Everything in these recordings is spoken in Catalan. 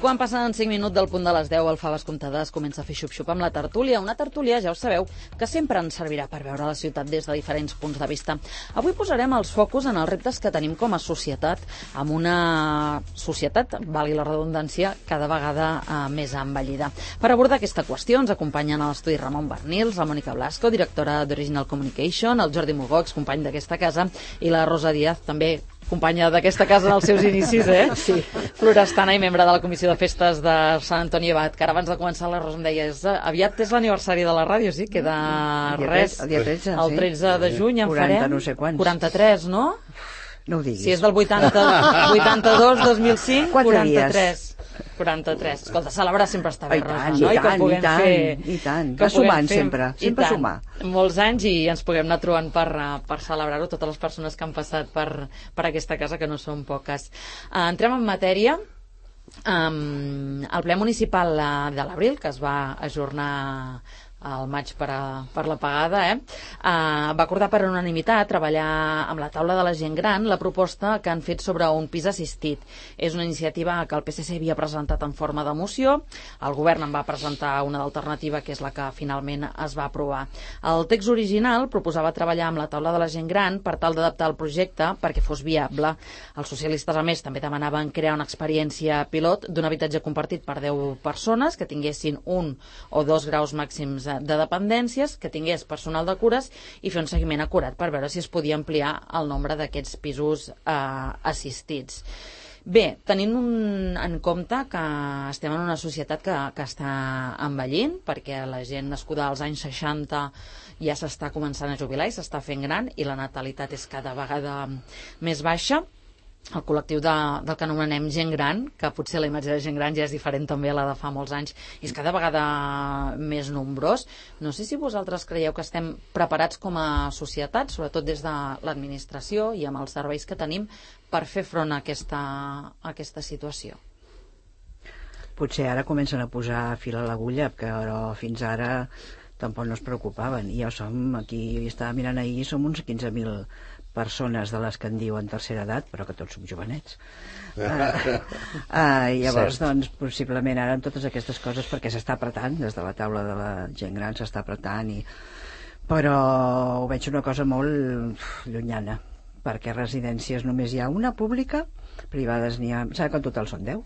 quan passen 5 minuts del punt de les 10, el Faves Comptades comença a fer xup-xup amb la tertúlia. Una tertúlia, ja ho sabeu, que sempre ens servirà per veure la ciutat des de diferents punts de vista. Avui posarem els focus en els reptes que tenim com a societat, amb una societat, valgui la redundància, cada vegada més envellida. Per abordar aquesta qüestió ens acompanyen a l'estudi Ramon Bernils, la Mònica Blasco, directora d'Original Communication, el Jordi Mugox, company d'aquesta casa, i la Rosa Díaz, també companya d'aquesta casa en els seus inicis, Sí. Florestana i membre de la Comissió de Festes de Sant Antoni Abat, que ara abans de començar la Rosa em deia, aviat és l'aniversari de la ràdio, sí? Queda res. El dia 13, el 13 de juny en 40, farem... no sé quants. 43, no? No ho diguis. Si és del 82, 2005, 43. 43. Escolta, celebrar sempre està bé, Rosa, no? I tant. Va sumant sempre sumar. Molts anys i ens puguem anar trobant per celebrar-ho, totes les persones que han passat per aquesta casa, que no són poques. Entrem en matèria. El ple municipal de l'Abril, que es va ajornar al maig per la pagada, va acordar per unanimitat treballar amb la taula de la gent gran la proposta que han fet sobre un pis assistit. És una iniciativa que el PSC havia presentat en forma de moció, el govern en va presentar una d'alternativa, que és la que finalment es va aprovar. El text original proposava treballar amb la taula de la gent gran per tal d'adaptar el projecte perquè fos viable. Els socialistes, a més, també demanaven crear una experiència pilot d'un habitatge compartit per 10 persones que tinguessin 1 o 2 graus màxims de dependències, que tingués personal de cures i fer un seguiment acurat per veure si es podia ampliar el nombre d'aquests pisos assistits. Bé, tenint en compte que estem en una societat que està envellint, perquè la gent nascuda als anys 60 ja s'està començant a jubilar i s'està fent gran i la natalitat és cada vegada més baixa, el col·lectiu del que anomenem gent gran, que potser la imatge de gent gran ja és diferent també a la de fa molts anys, i és cada vegada més nombrós. No sé si vosaltres creieu que estem preparats com a societat, sobretot des de l'administració i amb els serveis que tenim, per fer front a aquesta situació. Potser ara comencen a posar fil a l'agulla, però fins ara tampoc no es preocupaven. I ja som aquí, estava mirant ahir, som uns 15.000 persones de les que en diuen tercera edat, però que tots som jovenets. Llavors, doncs, possiblement ara amb totes aquestes coses, perquè s'està apretant, des de la taula de la gent gran s'està apretant, però ho veig una cosa molt llunyana, perquè residències només hi ha una pública, privades n'hi ha, sabe que en total són 10,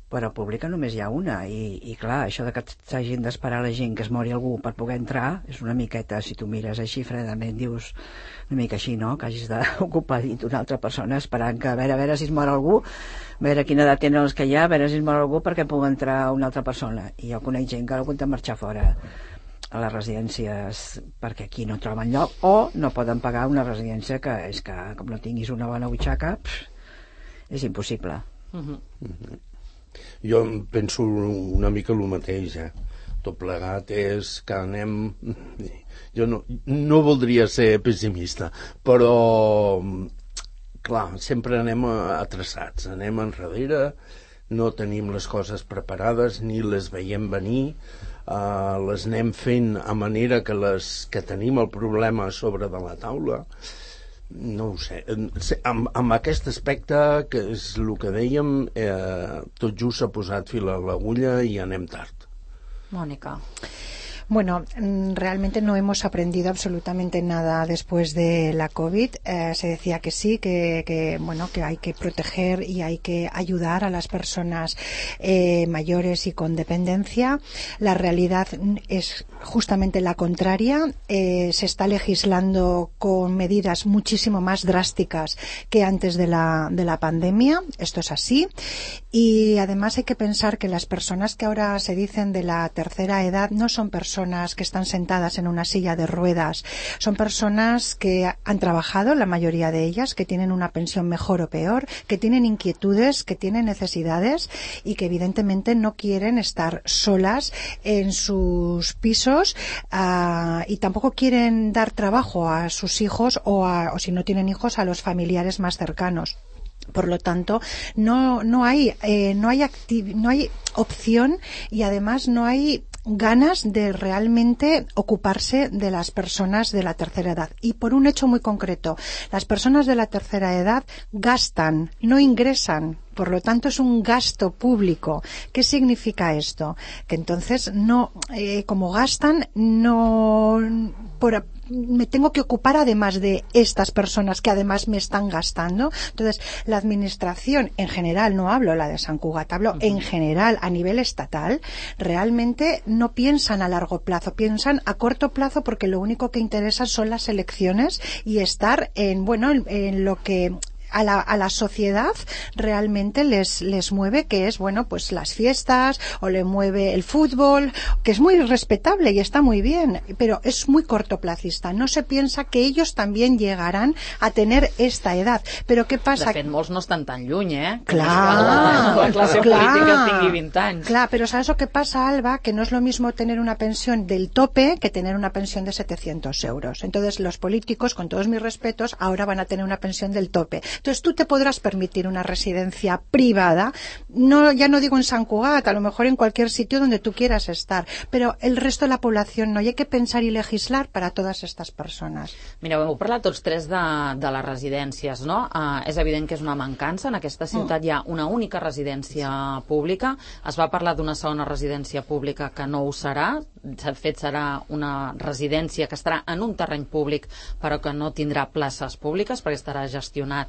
però pública només hi ha una, i clar, això de que s'hagin d'esperar la gent que es mori algú per poder entrar és una miqueta, si tu mires així fredament, dius una mica així, no? Que hagis d'ocupar dit una altra persona esperant que a veure si es mor algú, a veure quina edat tenen els que hi ha, a veure si es mor algú perquè pugui entrar una altra persona. I jo conec gent que ha hagut de marxar fora a les residències perquè aquí no troben lloc o no poden pagar una residència que és que com no tinguis una bona butxaca és impossible. Jo penso una mica el mateix, tot plegat és que anem... Jo no voldria ser pessimista, però clar, sempre anem atrasats, anem enrere, no tenim les coses preparades ni les veiem venir, les anem fent a manera que tenim el problema a sobre de la taula. No ho sé, amb aquest aspecte, que és el que dèiem, tot just s'ha posat fil a l'agulla i anem tard. Mónica. Bueno, realmente no hemos aprendido absolutamente nada después de la COVID. Se decía que sí, que hay que proteger y hay que ayudar a las personas mayores y con dependencia. La realidad es justamente la contraria. Se está legislando con medidas muchísimo más drásticas que antes de la pandemia. Esto es así. Y además hay que pensar que las personas que ahora se dicen de la tercera edad no son personas que están sentadas en una silla de ruedas, son personas que han trabajado, la mayoría de ellas, que tienen una pensión mejor o peor, que tienen inquietudes, que tienen necesidades y que evidentemente no quieren estar solas en sus pisos y tampoco quieren dar trabajo a sus hijos o si no tienen hijos a los familiares más cercanos. Por lo tanto, no hay opción y además no hay ganas de realmente ocuparse de las personas de la tercera edad. Y por un hecho muy concreto, las personas de la tercera edad gastan, no ingresan. Por lo tanto, es un gasto público. ¿Qué significa esto? Que entonces no, como gastan, me tengo que ocupar además de estas personas que además me están gastando. Entonces, la administración en general, no hablo la de Sant Cugat, hablo en general a nivel estatal, realmente no piensan a largo plazo, piensan a corto plazo, porque lo único que interesa son las elecciones y estar en lo que a la sociedad realmente les mueve, que es pues las fiestas, o le mueve el fútbol, que es muy respetable y está muy bien, pero es muy cortoplacista. No se piensa que ellos también llegarán a tener esta edad. Però què passa? De fet, molts no estan tan lluny, Clar, la clase política tingui 20 anys. Clar, pero ¿sabes lo que pasa, Alba? Que no es lo mismo tener una pensión del tope que tener una pensión de 700 euros. Entonces, los políticos, con todos mis respetos, ahora van a tener una pensión del tope. Entonces tú te podrás permitir una residencia privada, ya no digo en Sant Cugat, a lo mejor en cualquier sitio donde tú quieras estar, pero el resto de la población no. Y hay que pensar y legislar para todas estas personas. Mireu, heu parlat tots tres de les residències, no? És evident que és una mancança. En aquesta ciutat hi ha una única residència pública. Es va parlar d'una segona residència pública que no ho serà. De fet, serà una residència que estarà en un terreny públic però que no tindrà places públiques perquè estarà gestionat,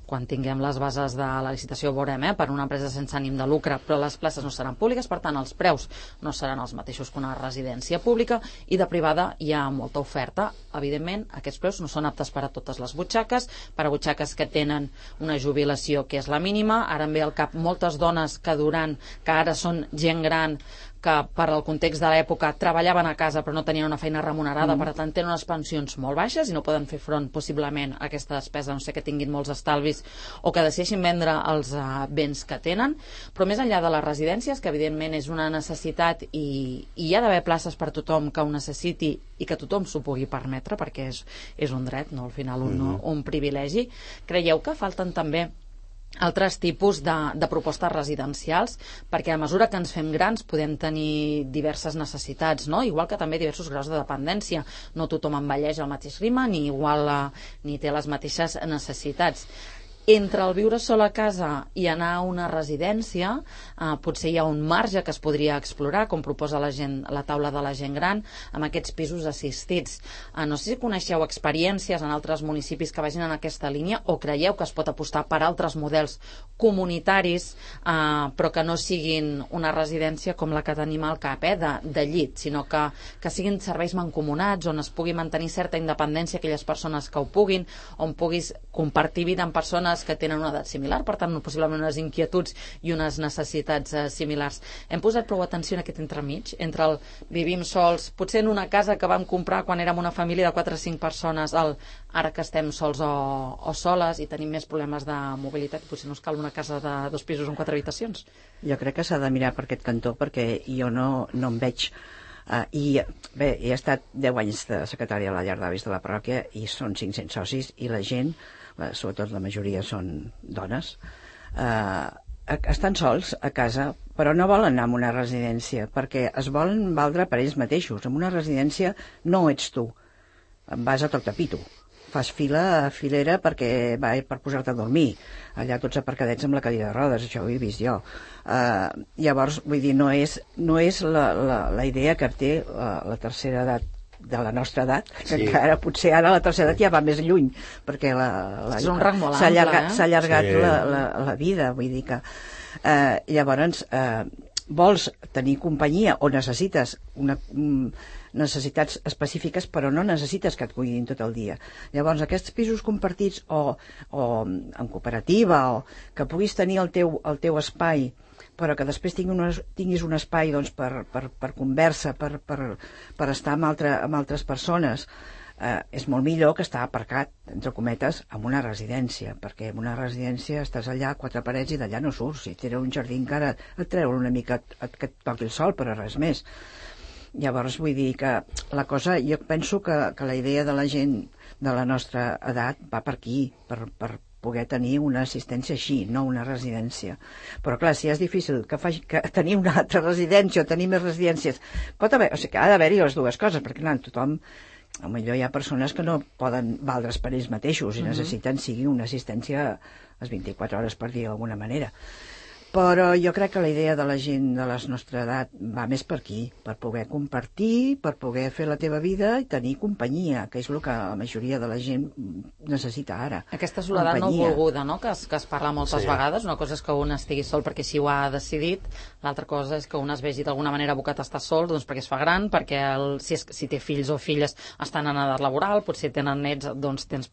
quan tinguem les bases de la licitació ho veurem, per una empresa sense ànim de lucre, però les places no seran públiques, per tant els preus no seran els mateixos que una residència pública, i de privada hi ha molta oferta. Evidentment, aquests preus no són aptes per a totes les butxaques, per a butxaques que tenen una jubilació que és la mínima. Ara em ve al cap moltes dones que ara són gent gran, que per al context de l'època treballaven a casa però no tenien una feina remunerada, per tant tenen unes pensions molt baixes i no poden fer front possiblement a aquesta despesa, no sé, que tinguin molts estalvis o que decideixin vendre els béns que tenen. Però més enllà de les residències, que evidentment és una necessitat i hi ha d'haver places per tothom que ho necessiti i que tothom s'ho pugui permetre, perquè és un dret, no? Al final un privilegi. Creieu que falten també altres tipus de propostes residencials, perquè a mesura que ens fem grans podem tenir diverses necessitats, no? Igual que també diversos graus de dependència. No tothom envelleix al mateix ritme ni té les mateixes necessitats. Entre el viure sol a casa i anar a una residència, potser hi ha un marge que es podria explorar, com proposa la taula de la gent gran, amb aquests pisos assistits. No sé si coneixeu experiències en altres municipis que vagin en aquesta línia, o creieu que es pot apostar per altres models comunitaris, però que no siguin una residència com la que tenim al cap, de llit, sinó que siguin serveis mancomunats, on es pugui mantenir certa independència aquelles persones que ho puguin, on puguis compartir vida amb persones que tenen una edat similar, per tant possiblement unes inquietuds i unes necessitats similars. Hem posat prou atenció en aquest entremig, entre el vivim sols, potser en una casa que vam comprar quan érem una família de 4 o 5 persones, ara que estem sols o soles i tenim més problemes de mobilitat, potser no es cal una casa de 2 pisos amb 4 habitacions. Jo crec que s'ha de mirar per aquest cantó, perquè jo no em veig. I bé, he estat 10 anys de secretària a la llar d'avis de la parròquia i són 500 socis, i la gent, sobretot la majoria són dones, estan sols a casa, però no volen anar a una residència perquè es volen valdre per ells mateixos. En una residència no ets tu, vas a toc-tapito, fas filera per posar-te a dormir, allà tots aparcadets amb la cadira de rodes, això ho he vist jo. Llavors, vull dir, no és la idea que té la tercera edat de la nostra edat, que encara potser ara la tercera edat ja va més lluny, perquè s'ha allargat la vida, vull dir que llavors vols tenir companyia o necessites necessitats específiques, però no necessites que et cuidin tot el dia. Llavors aquests pisos compartits o en cooperativa, o que puguis tenir el teu espai, però que després tinguis un espai per conversa, per estar amb altres persones, és molt millor que estar aparcat, entre cometes, en una residència, perquè en una residència estàs allà a 4 parets i d'allà no surts. Si tens un jardí encara et treu una mica que et toqui el sol, però res més. Llavors vull dir que la cosa, jo penso que la idea de la gent de la nostra edat va per aquí, per poder tenir una assistència així, no una residència. Però clar, si és difícil que tenir una altra residència o tenir més residències, ha d'haver-hi les dues coses, perquè clar, tothom, potser hi ha persones que no poden valdre's per ells mateixos i necessiten sigui una assistència les 24 hores per dia d'alguna manera. Però jo crec que la idea de la gent de la nostra edat va més per aquí, per poder compartir, per poder fer la teva vida i tenir companyia, que és el que la majoria de la gent necessita ara. Aquesta soledat no volguda, no?, que es parla moltes vegades. Una cosa és que un estigui sol perquè així ho ha decidit, l'altra cosa és que un es vegi d'alguna manera abocat a estar sol, doncs perquè es fa gran, perquè si té fills o filles estan en edat laboral, potser tenen nets, doncs tens...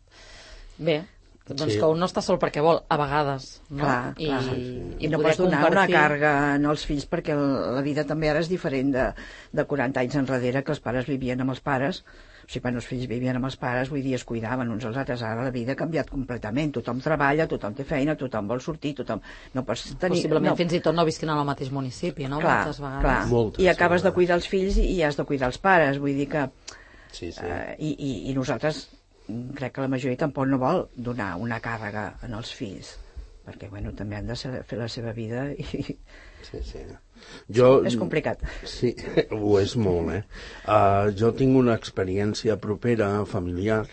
Bé, doncs que un no està sol perquè vol, a vegades, no? Clar. I no pots donar una càrrega als fills, perquè la vida també ara és diferent de 40 anys enrere, que els pares vivien amb els pares. O sigui, quan els fills vivien amb els pares, vull dir, es cuidaven uns als altres. Ara la vida ha canviat completament. Tothom treballa, tothom té feina, tothom vol sortir, tothom... No pots tenir... Possiblement fins i tot no visquin al mateix municipi, no? Clar, moltes vegades. Moltes, i acabes de cuidar els fills i has de cuidar els pares. Vull dir que... I nosaltres... crec que la majoria tampoc no vol donar una càrrega en els fills, perquè també han de fer la seva vida i... És complicat. Sí, ho és molt, jo tinc una experiència propera, familiar,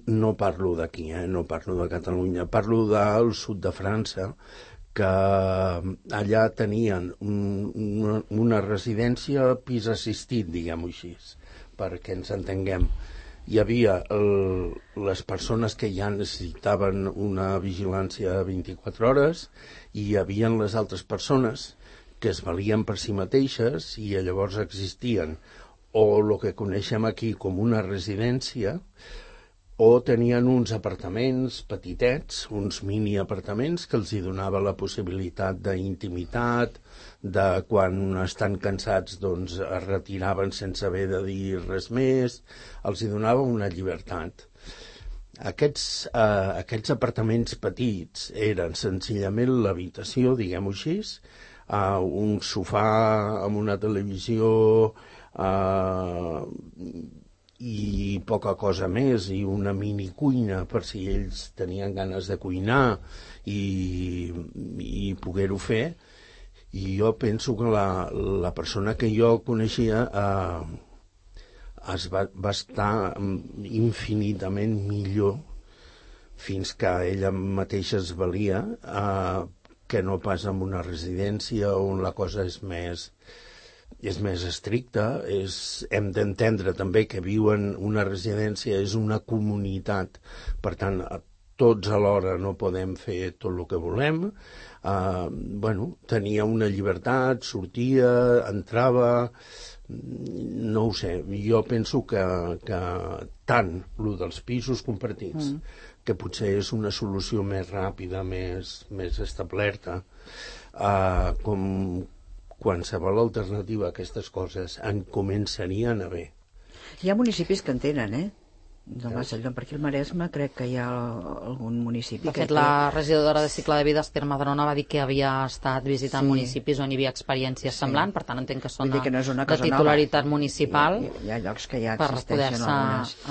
no parlo d'aquí, no parlo de Catalunya, parlo del sud de França, que allà tenien una residència pis assistit, diguem-ho així, perquè ens entenguem. Hi havia les persones que ja necessitaven una vigilància 24 hores i hi havia les altres persones que es valien per si mateixes i llavors existien o el que coneixem aquí com una residència o tenien uns apartaments petitets, uns mini apartaments que els hi donava la possibilitat d'intimitat, de quan estan cansats doncs es retiraven sense haver de dir res més, els hi donava una llibertat. Aquests apartaments petits eren senzillament l'habitació, diguem-ho així, un sofà amb una televisió i poca cosa més, i una mini cuina per si ells tenien ganes de cuinar i poder-ho fer. I jo penso que la persona que jo coneixia va estar infinitament millor fins que ella mateixa es valia que no pas en una residència on la cosa és més estricta. Hem d'entendre també que viuen una residència, és una comunitat, per tant tots alhora no podem fer tot el que volem. Tenia una llibertat, sortia, entrava, no ho sé, jo penso que tant el dels pisos compartits, que potser és una solució més ràpida, més establerta, com qualsevol alternativa a aquestes coses en començarien a haver. Hi ha municipis que en tenen, de Macedònia, per aquí al Maresme crec que hi ha algun municipi. De fet, la regidora de Cicle de Vida, Esther Madrona, va dir que havia estat visitant municipis on hi havia experiències semblants, per tant entenc que són de titularitat municipal, hi ha llocs que ja per poder-se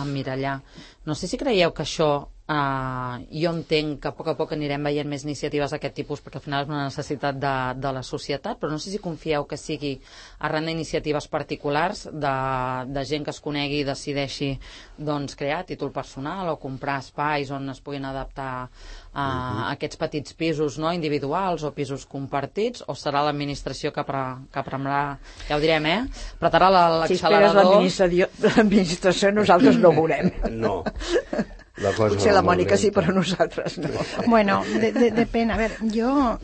emmirallar. No sé si creieu que això, jo entenc que a poc anirem veient més iniciatives d'aquest tipus, perquè al final és una necessitat de la societat, però no sé si confieu que sigui arran d'iniciatives particulars, de gent que es conegui i decideixi crear títol personal o comprar espais on es puguin adaptar a aquests petits pisos individuals o pisos compartits, o serà l'administració que prendrà, ja ho direm, apretarà l'accelerador. Si esperes l'administració, nosaltres no ho veurem. No. Potser la Mònica sí, pero nosotras no. Bueno, depende. A ver, yo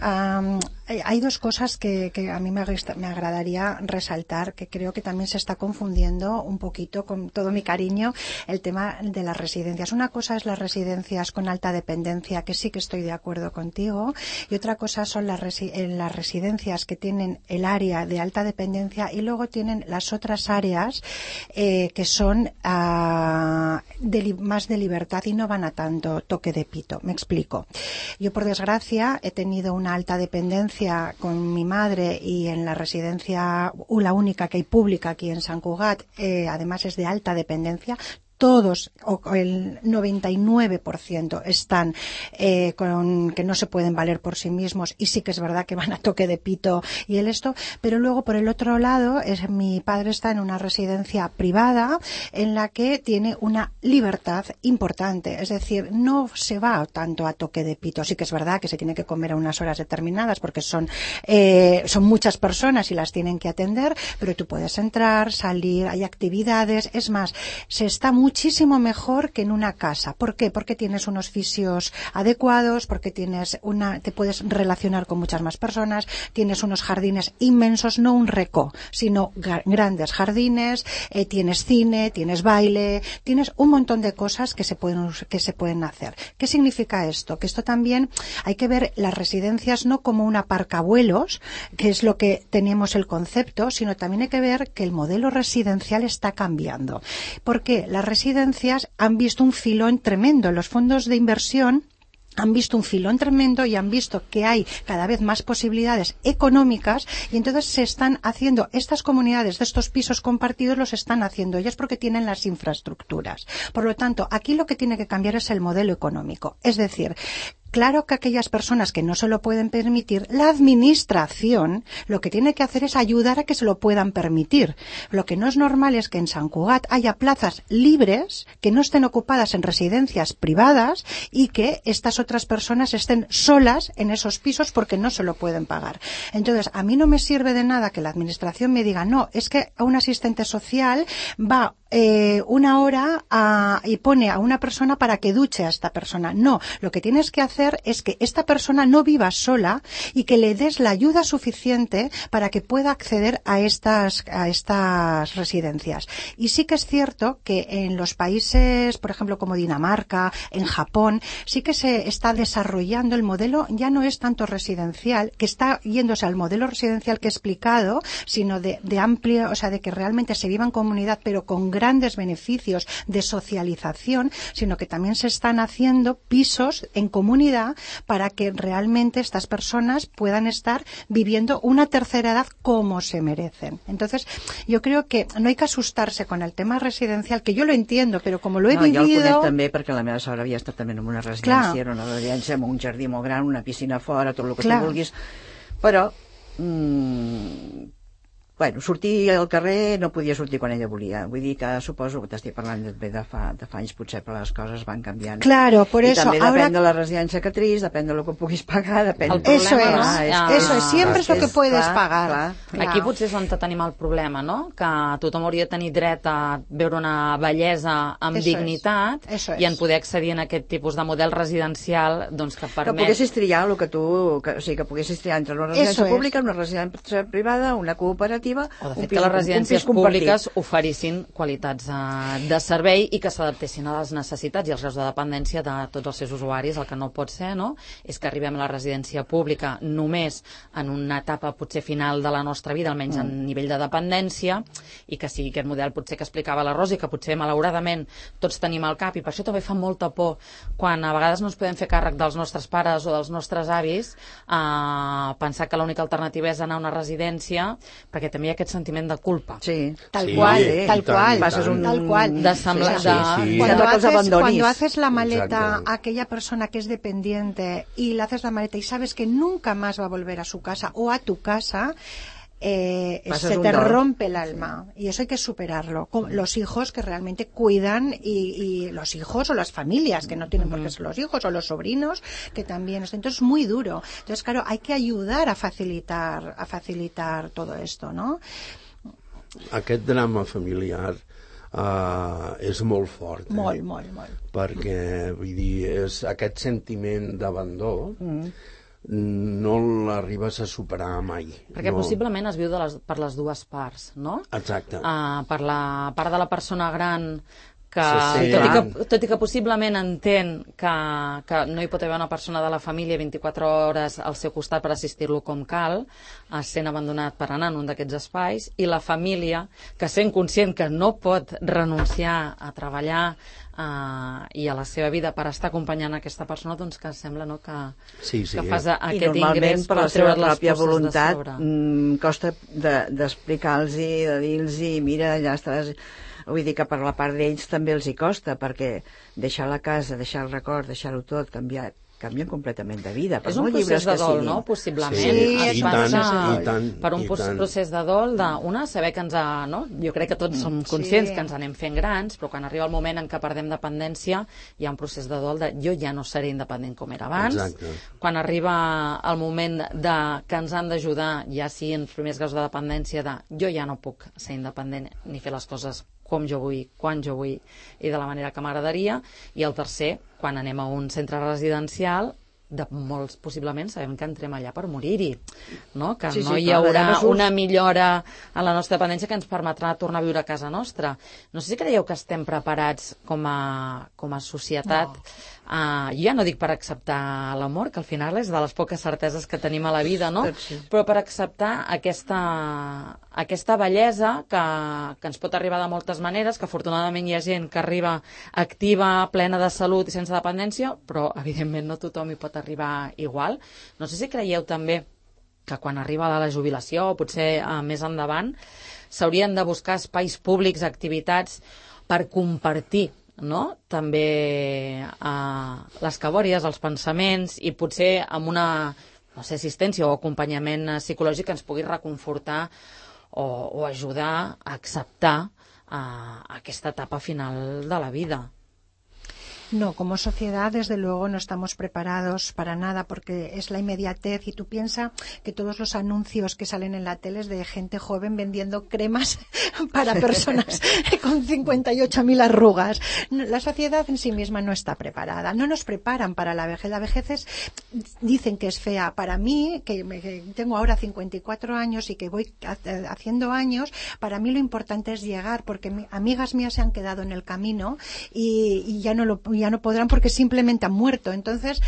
hay dos cosas que a mí me agradaría resaltar, que creo que también se está confundiendo un poquito, con todo mi cariño, el tema de las residencias. Una cosa es las residencias con alta dependencia, que sí que estoy de acuerdo contigo, y otra cosa son las residencias que tienen el área de alta dependencia y luego tienen las otras áreas que son más de libertad y no van a tanto toque de pito. Me explico. Yo, por desgracia, he tenido una alta dependencia con mi madre, y en la residencia, la única que hay pública aquí en Sant Cugat, además es de alta dependencia. todos, o el 99% están con que no se pueden valer por sí mismos, y sí que es verdad que van a toque de pito y pero luego por el otro lado mi padre está en una residencia privada en la que tiene una libertad importante, es decir, no se va tanto a toque de pito. Sí que es verdad que se tiene que comer a unas horas determinadas porque son muchas personas y las tienen que atender, pero tú puedes entrar, salir, hay actividades, es más, se está muchísimo mejor que en una casa. ¿Por qué? Porque tienes unos fisios adecuados, porque te puedes relacionar con muchas más personas, tienes unos jardines inmensos, no un recó, sino grandes jardines, tienes cine, tienes baile, tienes un montón de cosas que se pueden hacer. ¿Qué significa esto? Que esto también hay que ver las residencias no como un aparcavuelos, que es lo que teníamos el concepto, sino también hay que ver que el modelo residencial está cambiando. Porque las residencias han visto un filón tremendo. Los fondos de inversión han visto un filón tremendo y han visto que hay cada vez más posibilidades económicas, y entonces se están haciendo estas comunidades de estos pisos compartidos, los están haciendo ellas porque tienen las infraestructuras. Por lo tanto, aquí lo que tiene que cambiar es el modelo económico. Es decir, claro que aquellas personas que no se lo pueden permitir, la administración lo que tiene que hacer es ayudar a que se lo puedan permitir. Lo que no es normal es que en Sant Cugat haya plazas libres que no estén ocupadas en residencias privadas y que estas otras personas estén solas en esos pisos porque no se lo pueden pagar. Entonces, a mí no me sirve de nada que la administración me diga, no, es que a un asistente social va una hora y pone a una persona para que duche a esta persona. No, lo que tienes que hacer es que esta persona no viva sola y que le des la ayuda suficiente para que pueda acceder a estas residencias. Y sí que es cierto que en los países, por ejemplo, como Dinamarca, en Japón, sí que se está desarrollando el modelo, ya no es tanto residencial, que está yéndose al modelo residencial que he explicado, sino de amplio, o sea, de que realmente se viva en comunidad, pero con grandes beneficios de socialización, sino que también se están haciendo pisos en comunidad para que realmente estas personas puedan estar viviendo una tercera edad como se merecen. Entonces, yo creo que no hay que asustarse con el tema residencial, que yo lo entiendo, però com lo he vivido... Jo el conec també perquè la meva sogra havia estat també en una residència, era una residència amb un jardí molt gran, una piscina fora, tot el que tu vulguis, però bueno, sortir al carrer no podia sortir quan ella volia. Vull dir que suposo que t'estic parlant de fa anys, potser, però les coses van canviant. Claro, por eso. I també depèn de la residència que triïs, depèn del que puguis pagar, depèn... Eso es, siempre es lo que puedes pagar. Aquí potser és on tenim el problema, no? Que tothom hauria de tenir dret a veure una bellesa amb dignitat i en poder accedir a aquest tipus de model residencial doncs, que permet... Que poguessis triar el que tu... O sigui, que poguessis triar entre una residència pública, una residència privada, una cooperativa... O de fet que les residències públiques oferissin qualitats de servei i que s'adaptessin a les necessitats i als graus de dependència de tots els seus usuaris. El que no pot ser, no?, és que arribem a la residència pública només en una etapa potser final de la nostra vida, almenys en nivell de dependència, i que sigui aquest model potser que explicava la Rosi, que potser malauradament tots tenim al cap, i per això també fa molta por quan a vegades no ens podem fer càrrec dels nostres pares o dels nostres avis, pensar que l'única alternativa és anar a una residència, perquè també hi ha aquest sentiment de culpa. Sí, tal cual. Tal cual. De semblar... Cuando haces la maleta a aquella persona que es dependiente y le haces la maleta y sabes que nunca más va a volver a su casa o a tu casa, se te rompe el alma, y eso hay que superarlo. Con los hijos que realmente cuidan y los hijos o las familias que no tienen por qué ser los hijos o los sobrinos que también. Entonces es muy duro. Entonces, claro, hay que ayudar a facilitar todo esto, ¿no? Aquest drama familiar és molt fort. Molt. Perquè, vull dir, és aquest sentiment d'abandó no l'arribes a superar mai. Perquè possiblement es viu per les dues parts, no? Exacte. Per la part de la persona gran que, tot i que possiblement entén que no hi pot haver una persona de la família 24 hores al seu costat per assistir-lo com cal, sent abandonat per anar en un d'aquests espais, i la família que sent conscient que no pot renunciar a treballar i a la seva vida per estar acompanyant aquesta persona, doncs que sembla, no, que fas aquest ingrés per treure les forces de sobre. Costa d'explicar-los, de dir-los, mira, ja estàs Vull dir que per la part d'ells també els hi costa, perquè deixar la casa, deixar el record, deixar-ho tot, canvien completament de vida. És un procés de dol, no? Possiblement. Sí, i tant. Per un procés de dol, saber que ens ha... No? Jo crec que tots som conscients que ens anem fent grans, però quan arriba el moment en què perdem dependència, hi ha un procés de dol de jo ja no seré independent com era abans. Exacte. Quan arriba el moment que ens han d'ajudar, ja sigui en els primers graus de dependència, de jo ja no puc ser independent ni fer les coses com jo vull, quan jo vull i de la manera que m'agradaria. I el tercer, quan anem a un centre residencial, de molts possiblement sabem que entrem allà per morir-hi, no? Que no hi haurà una millora en la nostra dependència que ens permetrà tornar a viure a casa nostra. No sé si creieu que estem preparats com a societat. Jo ja no dic per acceptar l'amor, que al final és de les poques certeses que tenim a la vida, no? Però per acceptar aquesta bellesa que ens pot arribar de moltes maneres, que afortunadament hi ha gent que arriba activa, plena de salut i sense dependència, però evidentment no tothom hi pot arribar igual. No sé si creieu també que quan arriba la jubilació, o potser més endavant, s'haurien de buscar espais públics, activitats per compartir, no? També les cabòries, els pensaments, i potser amb una assistència o acompanyament psicològic que ens pugui reconfortar o ajudar a acceptar aquesta etapa final de la vida. No, como sociedad, desde luego, no estamos preparados para nada porque es la inmediatez y tú piensas que todos los anuncios que salen en la tele es de gente joven vendiendo cremas para personas con 58.000 arrugas. La sociedad en sí misma no está preparada, no nos preparan para la vejez. La vejez dicen que es fea. Para mí, que tengo ahora 54 años y que voy haciendo años, para mí lo importante es llegar, porque amigas mías se han quedado en el camino y ya no podrán porque simplemente han muerto. Entonces,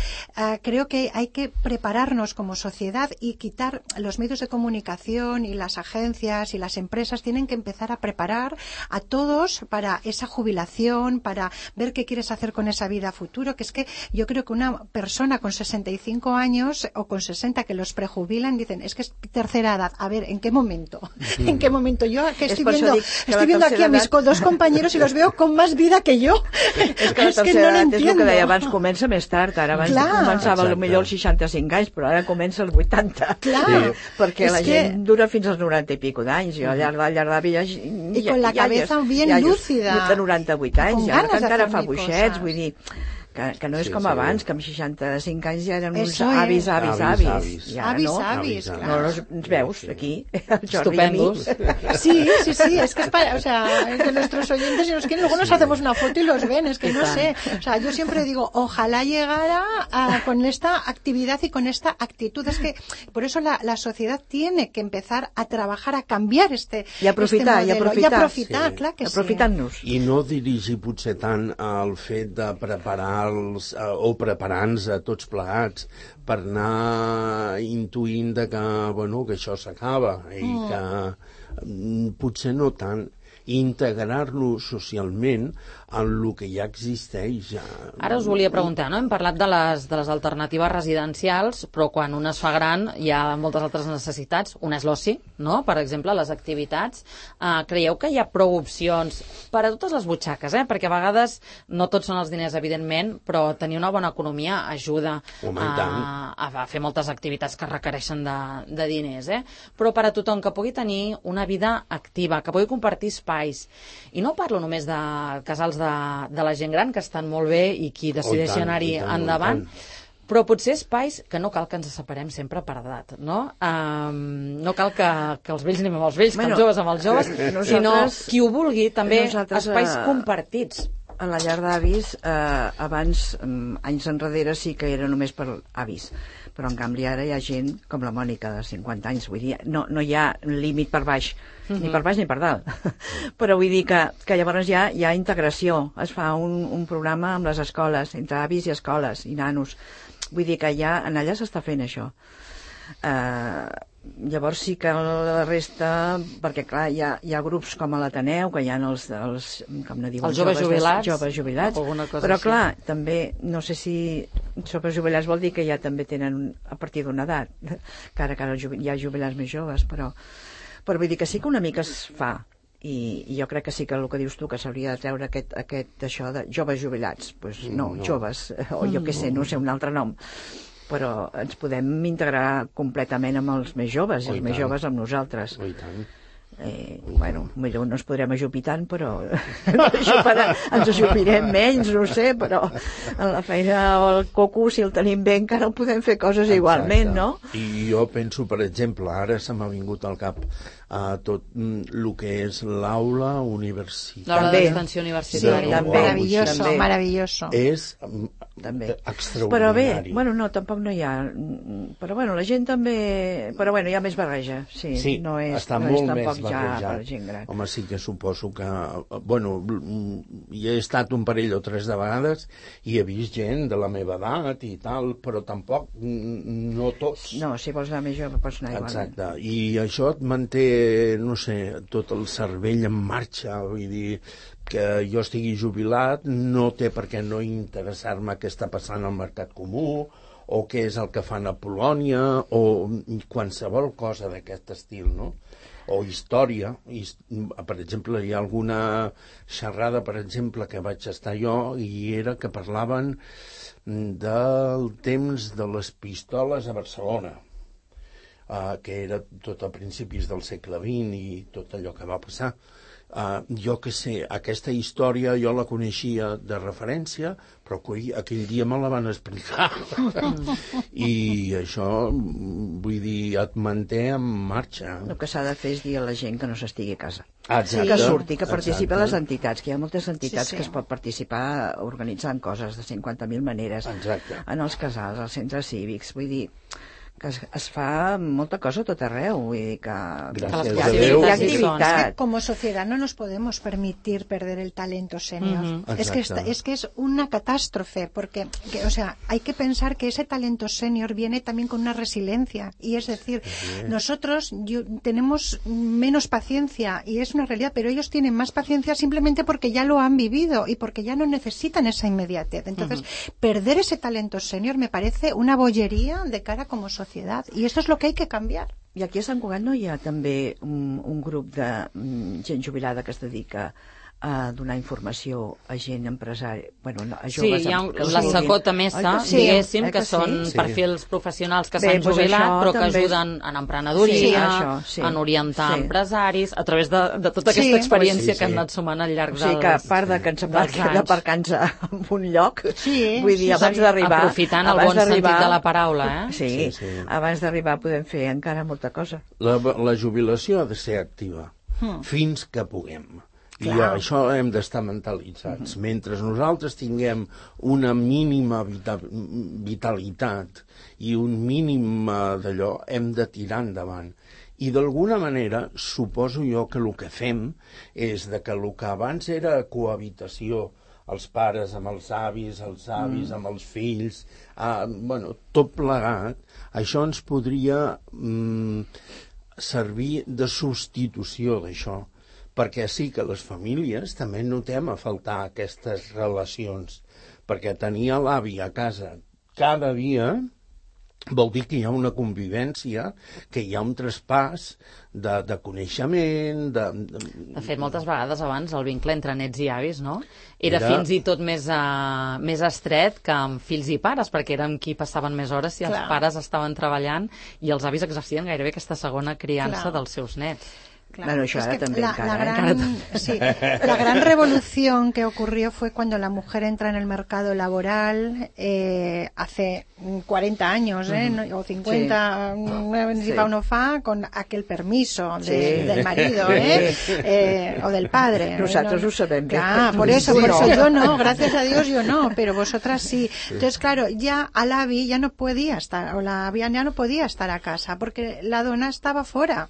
creo que hay que prepararnos como sociedad y quitar los medios de comunicación y las agencias y las empresas tienen que empezar a preparar a todos para esa jubilación, para ver qué quieres hacer con esa vida a futuro, que es que yo creo que una persona con 65 años o con 60 que los prejubilan dicen, es que es tercera edad. A ver, ¿en qué momento? ¿En qué momento? Yo que estoy viendo aquí a mis dos compañeros y los veo con más vida que yo. Es que no l'entiendo. És el que deia abans, comença més tard. Ara abans començava potser als 65 anys, però ara comença als 80. Perquè la gent dura fins als 90 i pico d'anys. Jo al llarg de la vida... I con la cabeza bien lúcida. Jo de 98 anys, ja encara fa buixets, vull dir... Que no és com abans, que amb 65 anys ja eren uns avis. Ja no? No els veus aquí, el Jordi i a mi. Sí, es que o sea, que nuestros oyentes si nos quieren, luego nos hacemos una foto y los ven, es que no sé. O sea, yo siempre digo, ojalá llegara con esta actividad y con esta actitud. Es que por eso la sociedad tiene que empezar a trabajar, a cambiar i aprofitar, clar que sí. Aprofitant-nos. I no dirigir potser tant al fet de preparar o preparant-nos a tots plegats per anar intuint que això s'acaba i que potser no tant integrar-nos socialment en el que ja existeix. Ara us volia preguntar, no? Hem parlat de les alternatives residencials, però quan un es fa gran hi ha moltes altres necessitats. Una és l'oci, no? Per exemple, les activitats. Creieu que hi ha prou opcions per a totes les butxaques, perquè a vegades no tots són els diners, evidentment, però tenir una bona economia ajuda a fer moltes activitats que requereixen de diners, però per a tothom que pugui tenir una vida activa, que pugui compartir espais. I no parlo només de casals de la gent gran, que estan molt bé i qui decideixi anar-hi endavant, però potser espais que no cal que ens separem sempre per edat, no? No cal que els vells anem amb els vells, que els joves amb els joves, sinó qui ho vulgui, també espais compartits. A la llar d'avis, abans, anys enrere, sí que era només per avis, però en canvi ara hi ha gent com la Mònica de 50 anys, vull dir, no hi ha límit per baix, ni per baix ni per dalt, però vull dir que llavors hi ha integració, es fa un programa amb les escoles, entre avis i escoles i nanos, vull dir que ja en allà s'està fent això. Llavors sí que la resta, perquè clar, hi ha grups com a l'Ateneu, que hi ha els com no diuen, els joves jubilats, però clar, també, no sé si joves jubilats vol dir que ja també tenen a partir d'una edat, que ara hi ha jubilats més joves, però vull dir que sí que una mica es fa, i jo crec que sí que el que dius tu, que s'hauria de treure això de joves jubilats, doncs no, joves, o jo què sé, no sé un altre nom, però ens podem integrar completament amb els més joves i els més joves amb nosaltres. I tant. Bueno, millor no ens podrem ajupir tant, però ens ajupirem menys, no sé, però en la feina o el coco, si el tenim bé, encara el podem fer coses igualment, no? I jo penso, per exemple, ara se m'ha vingut al cap tot el que és l'aula universitària. L'aula d'extensió universitària. Sí, maravilloso. És extraordinari. Però bé, no, tampoc no hi ha... Però la gent també... Però hi ha més barreja, sí. No és, està molt més tampoc ja barrejat. per gent gran. Home, sí que suposo que... hi he estat un parell o tres de vegades i he vist gent de la meva edat i tal, però tampoc no tots. No, si vols anar més jove pots anar igualment. Exacte, i això et manté, no sé, tot el cervell en marxa, vull dir que jo estigui jubilat no té per què no interessar-me què està passant al mercat comú o què és el que fan a Polònia o qualsevol cosa d'aquest estil, no? O història. Per exemple, hi ha alguna xerrada, per exemple, que vaig estar jo i era que parlaven del temps de les pistoles a Barcelona, que era tot a principis del segle XX i tot allò que va passar. Jo que sé, aquesta història jo la coneixia de referència, però aquell dia me la van explicar. I això, vull dir, et manté en marxa. El que s'ha de fer és dir a la gent que no s'estigui a casa. Exacte. Que surti, que participi a les entitats, que hi ha moltes entitats que es pot participar organitzant coses de 50.000 maneres. Exacte. En els casals, als centres cívics, vull dir que es fa molta cosa a tot arreu, vull dir que Gràcies a hi Déu. ha Es que activitat. como sociedad no nos podemos permitir perder el talento senior. Es que es una catástrofe, porque o sea, hay que pensar que ese talento senior viene también con una resiliencia. Y es decir, nosotros tenemos menos paciencia, y es una realidad, pero ellos tienen más paciencia simplemente porque ya lo han vivido y porque ya no necesitan esa inmediatez. Entonces, perder ese talento senior me parece una bollería de cara como sociedad. Y esto es lo que hay que cambiar. I aquí a Sant Cugat no hi ha també un grup de gent jubilada que es dedica a donar informació a gent empresària, a joves... Sí, hi ha la secota mesa, diguéssim, que són perfils professionals que s'han jubilat, però que ajuden en emprenedoria, en orientar empresaris, a través de tota aquesta experiència que han anat sumant al llarg dels anys. O sigui que a part de que ens d'aparcar-nos en un lloc, vull dir, abans d'arribar... Aprofitant el bon sentit de la paraula, eh? Sí, abans d'arribar podem fer encara molta cosa. La jubilació ha de ser activa, fins que puguem. I això hem d'estar mentalitzats. Mentre nosaltres tinguem una mínima vitalitat i un mínim d'allò, hem de tirar endavant. I d'alguna manera, suposo jo que el que fem és que el que abans era cohabitació, els pares amb els avis amb els fills, tot plegat, això ens podria servir de substitució d'això. Perquè sí que les famílies també notem a faltar aquestes relacions, perquè tenir l'avi a casa cada dia vol dir que hi ha una convivència, que hi ha un traspàs de coneixement... De fet, moltes vegades abans el vincle entre nets i avis, no? Era fins i tot més estret que amb fills i pares, perquè eren qui passaven més hores si els pares estaven treballant i els avis exercien gairebé aquesta segona criança dels seus nets. Claro, bueno, es que la gran revolución que ocurrió fue cuando la mujer entra en el mercado laboral hace 40 años, o 50, uno fa, con aquel permiso del marido, o del padre. Nosotros lo sabemos. Claro, por eso yo no, gracias a Dios yo no, pero vosotras sí. Entonces, claro, ya al avi ya no podía estar, o la avi ya no podía estar a casa, porque la dona estaba fuera,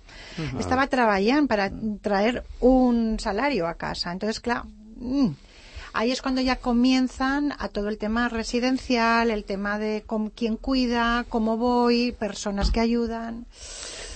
estaba trabajando para traer un salario a casa. Entonces, claro, ahí es cuando ya comienzan a todo el tema residencial, el tema de quién cuida, cómo voy, persones que ayuden.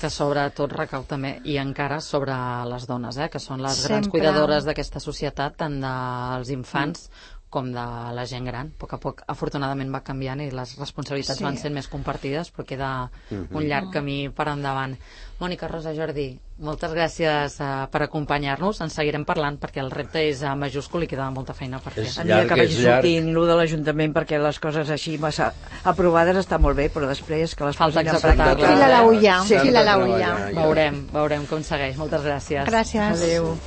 Que sobretot recau també, i encara sobre les dones, que són les grans cuidadores d'aquesta societat, tant dels infants com de la gent gran. A poc a poc, afortunadament, va canviant i les responsabilitats van sent més compartides, però queda un llarg camí per endavant. Mònica, Rosa, Jordi, moltes gràcies per acompanyar-nos. En seguirem parlant perquè el repte és majúscul i queda molta feina per fer. A mi que vagi sortint l'1 de l'Ajuntament, perquè les coses així massa aprovades està molt bé, però després que les falta executar-les. Fila la ulla. Veurem com segueix. Moltes gràcies. Gràcies. Adéu.